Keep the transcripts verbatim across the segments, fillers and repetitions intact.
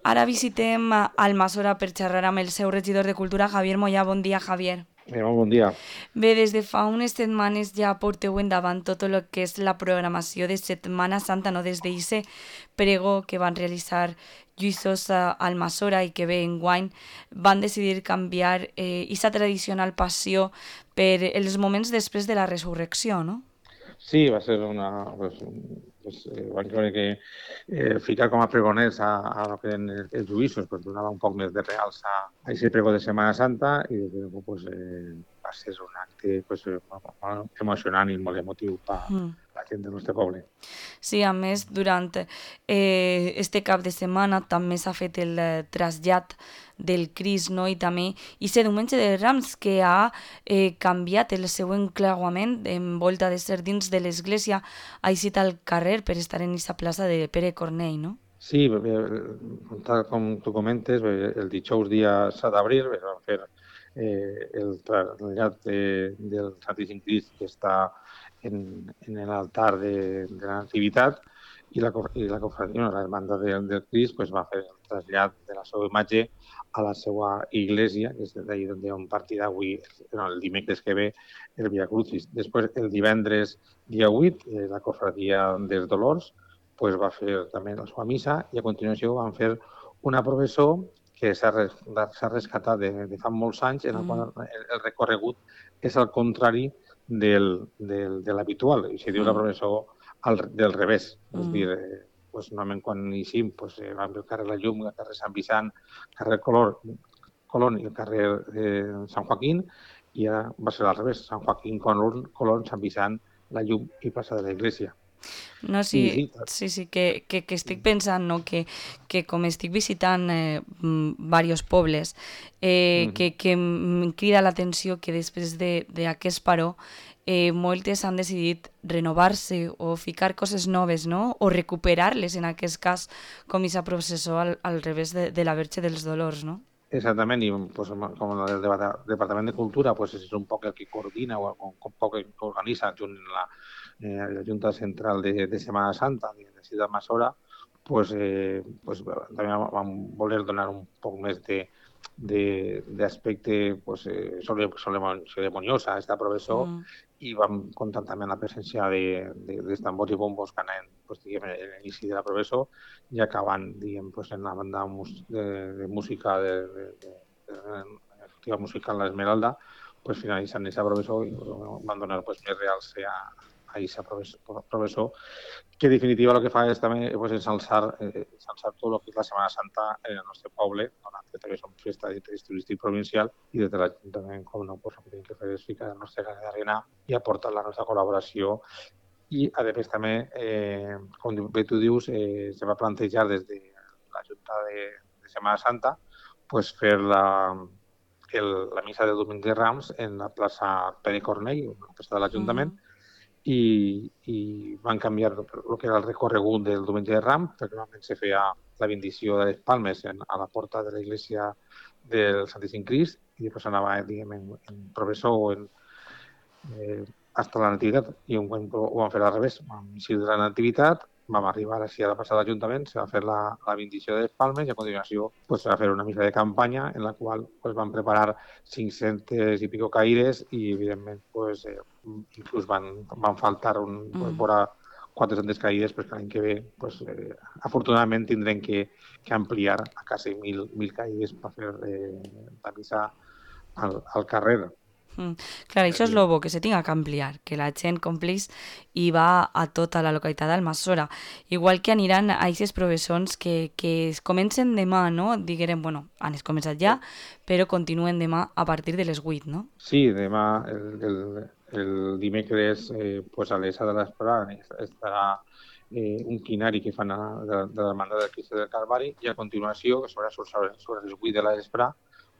Ara visitem Almassora per xerrar amb el seu regidor de Cultura, Javier Moyà. Bon dia, Javier. Eh, molt bon dia. Bé, des de fa unes setmanes ja porteu endavant tot el que és la programació de Setmana Santa, no? Des d'Ice pregó que van realitzar Lluïsos a Almassora i que bé enguany van decidir canviar eh, aquesta tradicional passió per els moments després de la resurrecció, no? Sí, va ser una... Pues, pues, eh, van creure que eh, ficar com a pregoners a, a lo que eren els, els juïssos pues, donava un poc més de reals a, a aquest pregó de Setmana Santa i des de llavors pues, eh, va ser un acte pues, eh, molt emocionant i molt emotiu per Mm. la gent del nostre poble. Sí, a més, durant eh, este cap de setmana també s'ha fet el eh, trasllat del Crist, no? I també aquest diumenge de Rams que ha eh, canviat el seu enclauament en volta de ser dins de l'església, ha eixit al carrer per estar en aquesta plaça de Pere Cornell, no? Sí, bé, tal com tu comentes, bé, el dijous dia set d'abril es va fer eh, el trasllat de, del Santíssim Crist que està en, en l'altar de, de la Nativitat i la, i la cofradia, la hermanda del, del Crist, pues, va fer el trasllat de la seva imatge a la seva iglesia, que és d'ahir on partirà avui, no, el dimecres que ve, el Via Crucis. Després, el divendres dia vuit, eh, la cofradia dels Dolors, pues va fer també la seva missa i a continuació van fer una professó que s'ha rescatat de, de fa molts anys, en la qual Mm. el, el recorregut és al contrari del, del, de l'habitual. I se diu la Mm. professó al, del revés. Mm. És Mm. dir, eh, pues, normalment quan eixim pues, eh, vam el carrer La Llum, el carrer Sant Vicent, carrer Color, Colón i el carrer eh, Sant Joaquín, i ara va ser al revés, Sant Joaquín, Colón, Colón, Sant Vicent, La Llum i plaça de la Iglesia. No, I sí, sí, sí, sí, que, que, que estic pensant, no? que, que com estic visitant eh, diversos pobles, eh, mm, que, que em crida l'atenció que després d'aquest paró eh, moltes han decidit renovar-se o ficar coses noves, no? O recuperar-les, en aquest cas, com aquesta processó al, al revés de, de la Verge dels Dolors, no? exactament, i pues, com el Departament de Cultura pues, és un poc el que coordina o un poc el que organitza junt la, eh, la Junta Central de, de Setmana Santa de la ciutat Massora, pues, eh, pues, també vam voler donar un poc més de d'aspecte pues, eh, ceremoniós a esta professó Mm. i vam comptar també amb la presència de, de, de tambors i bombos que anaven pues, diguem, a l'inici de la professó i acabant diguem, pues, en la banda de, de música de, de, de, de, de festival musical La Esmeralda, pues, finalitzant aquesta professó i van donar pues, més reals a, a aquesta professó, que en definitiva el que fa és també pues, ensalçar, eh, ensalçar tot el que és la Setmana Santa en el nostre poble, donat que també som festa d'interès turístic provincial i des de l'Ajuntament, com no, pues, el que tenim que fer és ficar el nostre granet d'arena i aportar la nostra col·laboració. I, a més, també, eh, com bé tu dius, eh, se va plantejar des de la Junta de, de Setmana Santa pues, fer la, el, la missa de Domingos de Rams en la plaça Pere Cornell, una plaça de l'Ajuntament, Mm. i, i van canviar el que era el recorregut del diumenge de Ram, perquè normalment se feia la bendició de les palmes en, a la porta de l'església del Santíssim Crist i després anava diguem, en, en professor o en, eh, hasta la Nativitat, i un ho vam fer al revés, vam eixir de la Nativitat, vam arribar així a la passada d'Ajuntament, se va fer la, la bendició de les palmes i a continuació pues, se va fer una missa de campanya en la qual pues, van preparar cinc-centes i pico caires i evidentment pues, eh, inclús van, van faltar un, pues, Mm. vora quatre-centes caïdes, però l'any que ve pues, eh, afortunadament tindrem que, que ampliar a quasi mil, mil caïdes per fer eh, la missa al, al carrer. Mm. Clar, això és el bo, que se tinga que ampliar, que la gent complís i va a tota la localitat d'Almassora. Igual que aniran a aquestes professons que, que es comencen demà, no? Diguem, bueno, han es començat ja, però continuen demà a partir de les vuit, no? Sí, demà, el, el, el dimecres, eh, pues a l'Esa de l'Esprà estarà eh, un quinari que fan a, de, de la Hermandad del Cristo del Calvari i a continuació, sobre, sobre, sobre les vuit de l'Esprà,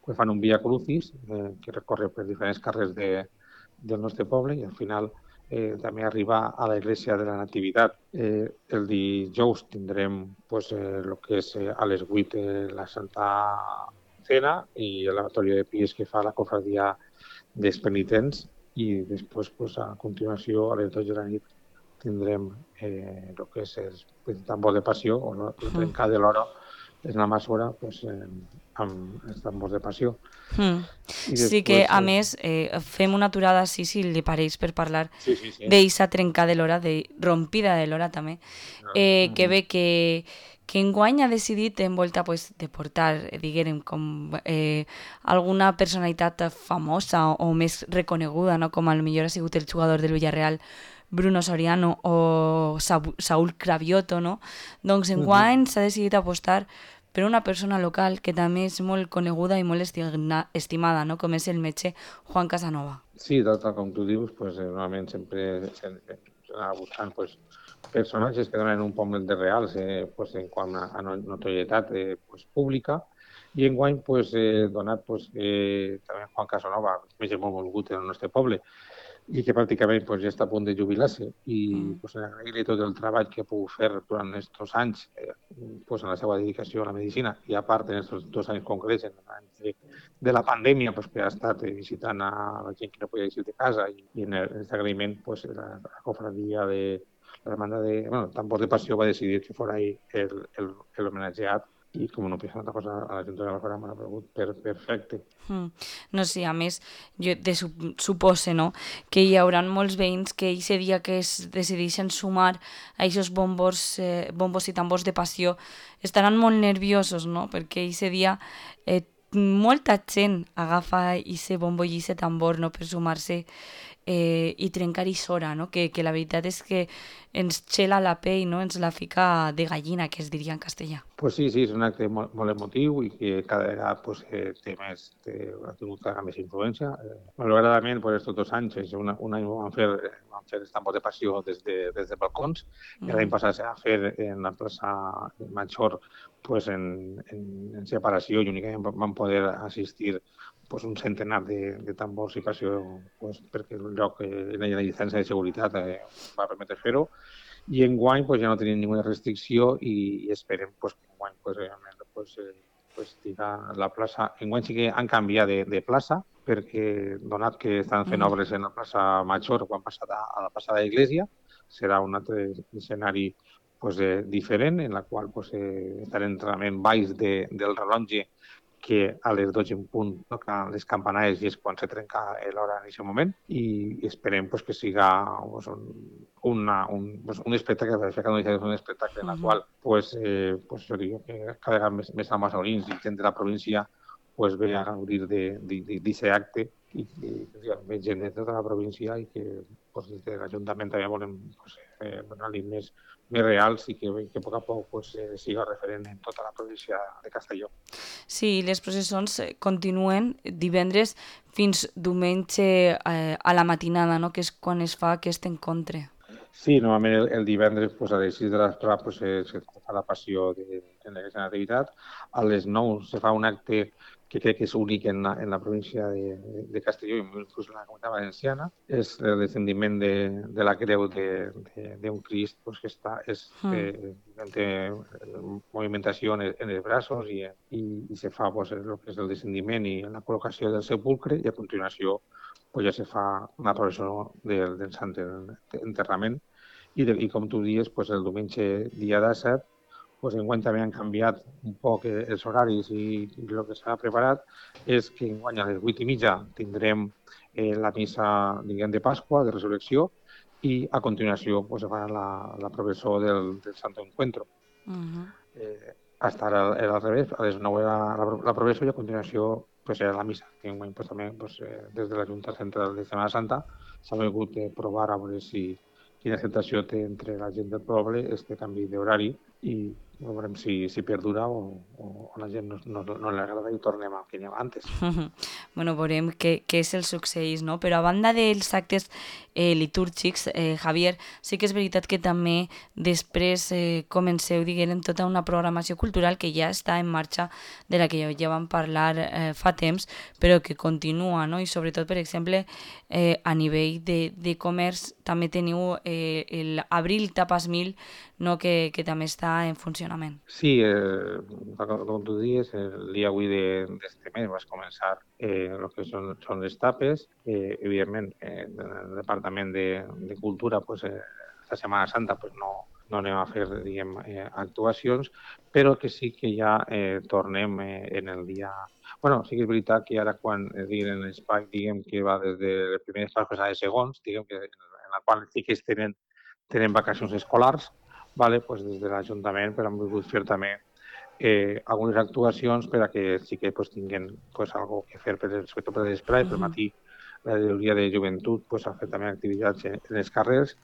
pues fan un Via Crucis eh, que recorre per diferents carrers de, del nostre poble i al final eh, també arriba a l'església de la Nativitat. Eh, el dijous tindrem pues, eh, el que és eh, a les vuit eh, la Santa Cena i el lavatorio de pies que fa la cofradia dels penitents i després, pues, a continuació, a les dotze de la nit, tindrem eh, el que és el tambor de passió o el Mm. trencar de l'hora és una emissora pues, eh, amb els tambors de passió. Mm. I Sí que, després... a Eh, més, eh, fem una aturada així, si li pareix, per parlar sí, sí, sí. d'eixa trencar de l'hora, de rompida de l'hora també, No. eh, que Uh-huh. bé que, que enguany ha decidit envolta pues, de portar, eh, diguem, com eh, alguna personalitat famosa o, o més reconeguda, no? Com a lo millor ha sigut el jugador del Villarreal, Bruno Soriano o Sa Saúl Cravioto, no? Doncs enguany Uh-huh. s'ha decidit apostar per una persona local que també és molt coneguda i molt estigna, estimada, no? Com és el metge Juan Casanova. Sí, tal, tal com tu dius, pues, eh, normalment sempre s'anava buscant pues, personatges que donen un poc de reals eh, pues, en quant a, a notorietat eh, pues, pública i enguany pues, eh, donat pues, eh, també Juan Casanova, més molt volgut en el nostre poble, i que pràcticament pues, ja està a punt de jubilar-se i Mm. pues, agrair-li tot el treball que ha pogut fer durant aquests anys eh, pues, en la seva dedicació a la medicina i a part en aquests dos anys concrets en l'any de, de la pandèmia pues, que ha estat eh, visitant a la gent que no podia eixir de casa i, i en aquest agraïment pues, la, la cofradia de la demanda de bueno, Tambors de Passió va decidir que fos l'homenatjat i com no pensa una altra cosa a la Junta de la Fora m'ha paregut per, perfecte. Mm. No sé, a més, jo de sup supose, no?, que hi haurà molts veïns que aquest dia que es decideixen sumar a aquests bombos, eh, bombos i tambors de passió estaran molt nerviosos, no?, perquè aquest dia eh, molta gent agafa aquest bombo i aquest tambor, no?, per sumar-se eh, i trencar isora, no?, que, que la veritat és que ens xela la pell, no?, ens la fica de gallina, que es diria en castellà. Pues sí, sí, és un acte molt, molt emotiu i que cada vegada pues, eh, té més, té, ha tingut cada més influència. Eh, malauradament, pues, estos dos anys, és una, un any van fer, van fer els tambors de passió des de, des de balcons i l'any Mm. passat s'ha fer en la plaça Major pues, en, en, en separació i únicament van poder assistir pues, un centenar de, de tambors i passió pues, perquè el lloc, eh, la llicència de seguretat eh, va permetre fer-ho. I enguany pues, ja no tenim ninguna restricció i, i esperem pues, que enguany pues, realment pues, eh, pues, estiga la plaça. Enguany sí que han canviat de, de plaça perquè, donat que estan fent Mm. obres en la plaça Major quan passat a, a la passada Iglesia, serà un altre escenari pues, eh, diferent en la qual pues, eh, estarem realment baix de, del rellotge que a les dotze en punt toquen les campanades i és quan se trenca l'hora en aquest moment i esperem pues, que siga pues, un, una, un, pues, un espectacle, perquè no és un espectacle en el qual pues, eh, pues, jo dic que cada vegada més, més amasorins i gent de la província pues, ve a gaudir d'aquest acte i que ve gent de tota la província i que pues, des de l'Ajuntament també volem pues, eh, donar-li més, més reals i que, que a poc a poc pues, eh, siga referent en tota la província de Castelló. Sí, les processons continuen divendres fins diumenge eh, a la matinada, no?, que és quan es fa aquest encontre. Sí, normalment el, el divendres pues, a les sis de l'esprà pues, se, se fa la passió de, de la nativitat. A les nou se fa un acte que crec que és únic en la, en la província de, de Castelló i inclús en la Comunitat Valenciana. És el descendiment de, de la creu d'un Crist pues, que està, és, eh, té movimentació en, en els braços i, i, i se fa pues, el que és el descendiment i la col·locació del sepulcre i a continuació pues, ja se fa una processó del, del Sant Enterrament. I, de, i com tu dius, pues, el diumenge dia disset, pues, enguany també han canviat un poc els horaris i, i el que s'ha preparat és que enguany a les vuit i mitja tindrem eh, la missa diguem, de Pasqua, de Resurrecció, i a continuació pues, farà la, la professó del, del Santo Encuentro. Uh -huh. eh, hasta ara era al revés, a les nou era la, la professó i a continuació pues, era la missa. Que enguany pues, també pues, eh, des de la Junta Central de Setmana Santa s'ha volgut eh, provar a veure si quina acceptació té entre la gent del poble este canvi d'horari i veurem si, si perdura o, o la gent no, no, no li agrada i tornem al que hi havia antes. Bueno, veurem què, què és el succeís, no? Però a banda dels actes eh, litúrgics, eh, Javier, sí que és veritat que també després eh, comenceu, diguem, tota una programació cultural que ja està en marxa, de la que ja vam parlar eh, fa temps, però que continua, no? I sobretot, per exemple, eh, a nivell de, de comerç també teniu eh, l'Abril Tapas Mil, no? que, que també està en funcionament. Sí, eh, com tu dius, el dia avui d'este mes vas començar eh, el que són, són les tapes. Eh, evidentment, eh, el Departament de, de Cultura, pues, eh, esta Setmana Santa pues, no, no anem a fer, diguem, eh, actuacions, però que sí que ja eh, tornem eh, en el dia... bueno, sí que és veritat que ara quan eh, diguem, l'espai, diguem, que va des de les primeres classes a de segons, diguem, que en la qual sí que es tenen, tenen vacacions escolars, vale? Pues des de l'Ajuntament però hem volgut fer també eh, algunes actuacions per a que sí que pues, tinguin pues, algo que fer, per, sobretot per l'esplai, pel matí la Directoria de Joventut pues, ha fet també activitats en, en els carrers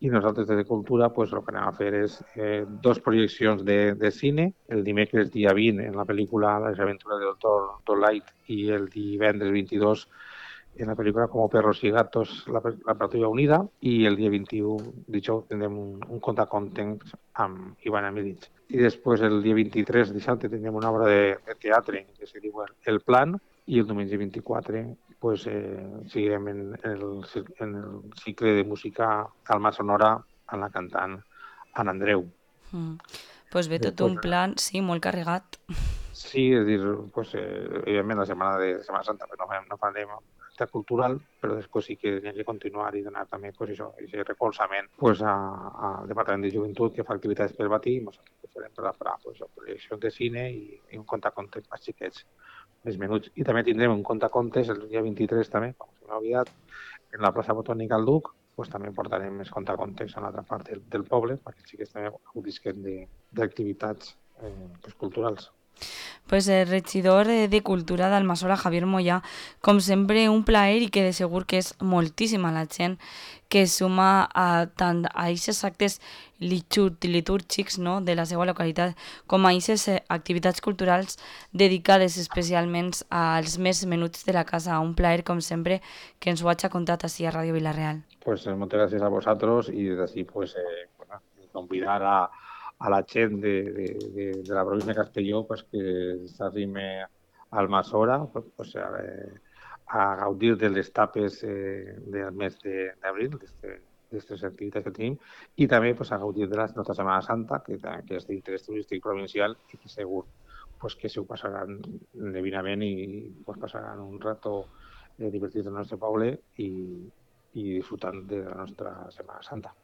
i nosaltres des de Cultura pues, el que anem a fer és eh, dos projeccions de, de cine, el dimecres dia vint en la pel·lícula Les aventures del Doctor Dolittle i el divendres vint-i-dos en la pel·lícula Como perros y gatos, la, la Patrulla Unida, i el dia vint-i-u, dijous, tindrem un, un contacontents amb Ivan Emilits. I després, el dia vint-i-tres, dissabte, tindrem una obra de, de teatre que se diu El Plan, i el diumenge vint-i-quatre pues, eh, seguirem en, en, el, en el cicle de música Alma Sonora amb la cantant Anna Andreu. Mm. Pues bé, tot Després, un plan, sí, molt carregat. sí, és a dir, pues, eh, evidentment la setmana de Setmana Santa pues, no, farem, no farem acte cultural, però després sí que hem de continuar i donar també pues, això, aquest recolzament pues, a, al Departament de Joventut que fa activitats pel matí i nosaltres que farem per la farà pues, projeccions de cine i, i un contacontes més xiquets, més menuts. I també tindrem un contacontes el dia vint-i-tres també, com se m'ha oblidat, en la plaça Botànica al Duc, pues, també portarem més contacontes a l'altra part del, del poble perquè sí que també gaudisquen d'activitats eh, pues, culturals. Pues el regidor de Cultura d'Almassora, Javier Moyà, com sempre un plaer i que de segur que és moltíssima la gent que es suma a tant a aquests actes litúrgics, no?, de la seva localitat com a aquestes activitats culturals dedicades especialment als més menuts de la casa. Un plaer, com sempre, que ens ho hagi contat així a Ràdio Vila-real. Pues eh, muchas gracias a vosotros y desde así pues eh, bueno, convidar a, a la gent de, de, de, de la província de Castelló pues, que s'arrime al Masora pues, pues, a, a gaudir de les tapes eh, del mes d'abril, d'aquestes activitats que tenim, i també pues, a gaudir de la nostra Setmana Santa, que, que és d'interès turístic provincial i que segur pues, que se ho passaran divinament i pues, passaran un rato eh, divertit al nostre poble i, i disfrutant de la nostra Setmana Santa.